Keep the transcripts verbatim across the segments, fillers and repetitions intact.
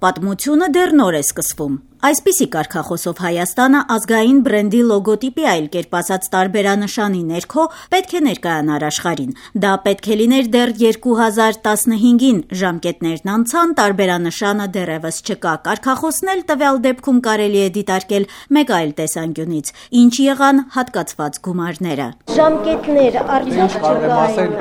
Պատմությունը դեռ նոր է սկսվում։ Այսպիսի կարգախոսով Հայաստանը ազգային բրենդի լոգոտիպի այլ կերպ ասած տարբերանշանի ներքո պետք է ներկայանար աշխարհին։ Դա պետք է լիներ դեռ երկու հազար տասնհինգին, ժամկետներն անցան, տարբերանշանը դեռևս չկա։ Կարգախոսն էլ տվյալ դեպքում կարելի է դիտարկել մեկ այլ տեսանկյունից։ Ինչ եղան հատկացված գումարները։ Ժամկետներ արդյոք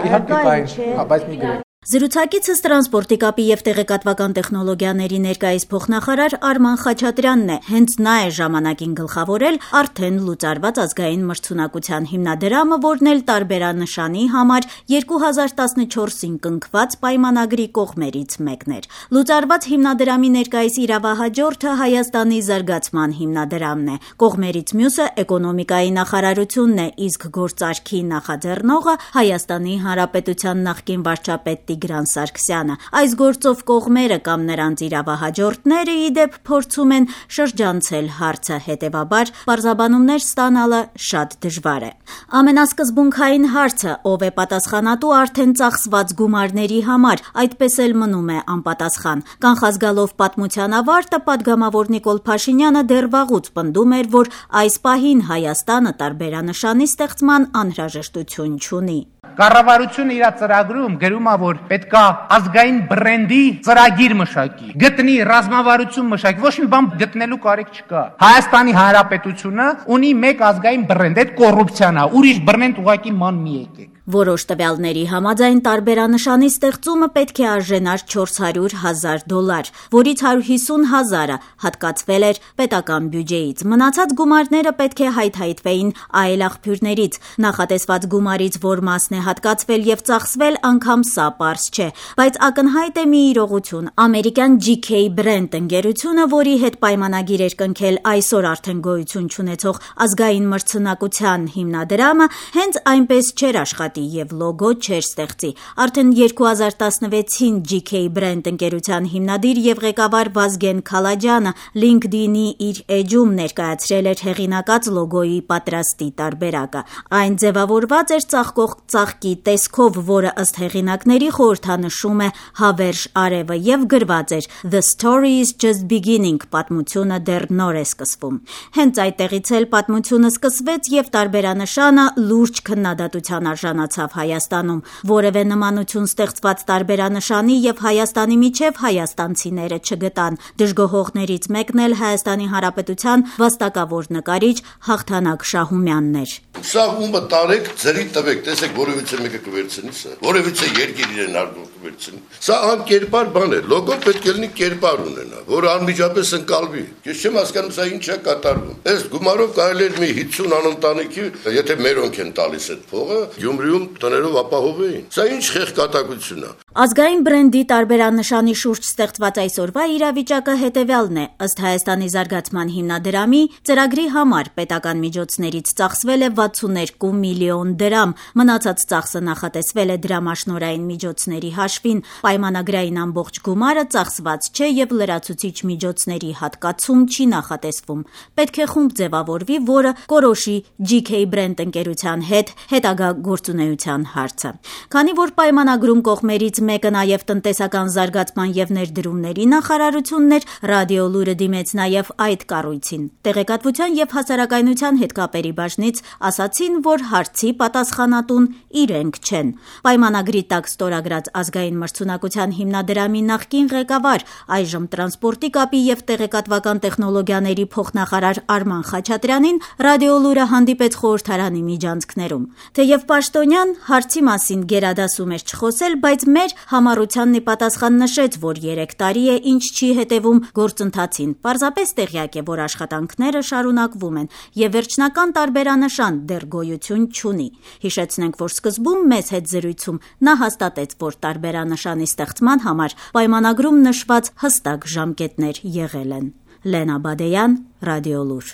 չկային։ Զրուցակիցս տրանսպորտի կապի եւ տեղեկատվական տեխնոլոգիաների ներկայիս փոխնախարար Արման Խաչատրյանն է։ Հենց նա է ժամանակին գլխավորել արդեն լուծարված ազգային մրցունակության հիմնադրամը, որն էլ տարբերանշանի համար երկու հազար տասնչորսին կնքված պայմանագրի կողմերից մեկն էր։ Լուծարված հիմնադրամի ներկայիս իրավահաջորդը Հայաստանի զարգացման հիմնադրամն է։ Կողմերից մյուսը էկոնոմիկայի նախարարությունն է, իսկ գործարքի նախաձեռնողը Հայաստանի Հանրապետության նախկին վարչապետ Տիգրան Սարգսյանը։ Այս գործով կողմերը կամ նրանց իրավահաջորդները ի դեպ փորձում են շրջանցել հարցը, հետևաբար պարզաբանումներ ստանալը շատ դժվար է։ Ամենասկզբունքային հարցը՝ ով է պատասխանատու արդեն ծախսված գումարների համար, այդպես էլ մնում է անպատասխան։ Կանխազգալով պատմության ավարտը պատգամավոր Նիկոլ Փաշինյանը դեռ վաղուց պնդում էր, որ այս պահին Հայաստանը տարբերանշանի ստեղծման անհրաժեշտություն չունի։ Կառավարությունը իր ծրագրում գրում է, որ պետք է ազգային բրենդի ծրագիր մշակի, գտնի ռազմավարություն մշակի, ոչ մի բան գտնելու կարիք չկա։ Հայաստանի Հանրապետությունը ունի մեկ ազգային բրենդ, այդ կոռուպցիան է, ուրիշ բրենդ ուղղակի ման մի եկեք։ Որոշ տվյալների համաձայն տարբերանշանի ստեղծումը պետք է արժենար չորս հարյուր հազար դոլար, որից հարյուր հիսուն հազարը հատկացվել էր պետական բյուջեից։ Մնացած գումարները պետք է հայթայթվեին այլ աղբյուրներից։ Նախատեսված գումարից որ մասն է հատկացվել եւ ծախսվել, անգամ սա պարզ չէ, բայց ակնհայտ է մի իրողություն։ Ամերիկյան Ջի Քեյ Brand ընկերությունը, որի հետ պայմանագիր էր կնքել այսօր արդեն գոյություն չունեցող ազգային մրցունակության հիմնադրամը, հենց այնպես չէր աշխատի եւ լոգո չէր ստեղծի։ Արդեն երկու հազար տասնվեցին Ջի Քեյ Brand ընկերության հիմնադիր եւ ղեկավար Վազգեն Քալաջյանը LinkedIn-ի իր էջում ներկայացրել էր հեղինակած լոգոյի պատրաստի տարբերակը։ Այն ձևավորված էր ծաղկող ծաղկի տեսքով, որը ըստ հեղինակների խորհրդանշում է հավերժ արևը եւ գրված էր The story is just beginning, պատմությունը դեռ նոր է սկսվում։ Հենց այդտեղից էլ պատմությունը սկսվեց եւ տարբերանշանը լուրջ քննադատության արժանացավ Հայաստանում։ Որևէ նմանություն ստեղծված տարբերանշանի եւ Հայաստանի միջև հայաստանցիները չգտան։ Դժգոհողներից մեկն էլ Հայաստանի Հանրապետության վաստակավոր նկարիչ Հաղթանակ Շահումյանն էր։ Սա ումը տարեք ձերի տվեք, տեսեք, որևիցե մեկը կվերցնի սա, որևիցե երկիր իրեն արգո կվերցնի։ Սա անկերպար բան է, լոգո պետք է լինի կերպար ունենա, որը անմիջապես ընկալվի։ Ես չեմ հասկանում սա ինչ է կատարվում։ Այս գումարով կարելի է մի հիսուն անընտանիքի, եթե մերոնք են տալիս այդ փողը, Գյումրիում տներով ապահովեին։ Սա ինչ խեղճատակություն է։ Ազգային բրենդի տարբերանշանի շուրջ ստեղծված այսօրվա իրավիճակը հետևյալն է։ Ըստ Հայաստանի զարգացման հիմնադրամի ծրագրի համար պետական միջոցներից ծախսվել է վաթսուներկու միլիոն դրամ, մնացած ծախսը նախատեսվել է դրամաշնորհային միջոցների հաշվին։ Պայմանագրային ամբողջ գումարը ծախսված չէ եւ լրացուցիչ միջոցների հատկացում չի նախատեսվում։ Պետք է խումբ ձևավորվի, որը կորոշի Ջի Քեյ Brand ընկերության հետ հետագա գործունեության հարցը։ Քանի որ պայմանագրում կողմերից մեկը նաև տնտեսական զարգացման եւ ներդրումների նախարարությունն էր, ռադիոլուրը դիմեց նաև այդ կառույցին։ Տեղեկատվության եւ հասարակայնության հետ կապերի բաժնից ասացին, որ հարցի պատասխանատուն իրենք չեն։ Պայմանագրի տակ ստորագրած ազգային մրցունակության հիմնադրամի նախկին ղեկավար, այժմ տրանսպորտի կապի եւ տեղեկատվական տեխնոլոգիաների փոխնախարար Արման Խաչատրյանին ռադիոլուրը հանդիպեց խորհրդարանի միջանցքներում։ Թեև պաշտոնյան հարցի մասին գերադասում էր չխոսել, բայց մեր համառությանն ի պատասխան նշեց, որ երեք տարի է ինչ չի հետևում գործընթացին։ Պարզապես տեղյակ է, որ աշխատանքները շարունակվում են եւ վերջնական տարբերանշան դեռ գոյություն չունի։ Հիշեցնենք, որ սկզբում մեզ հետ զրույցում նա հաստատեց, որ տարբերանշանի ստեղծման համար պայմանագրում նշված հստակ ժամկետներ եղել են։ Լենա Բադեյան, Ռադիոլուր։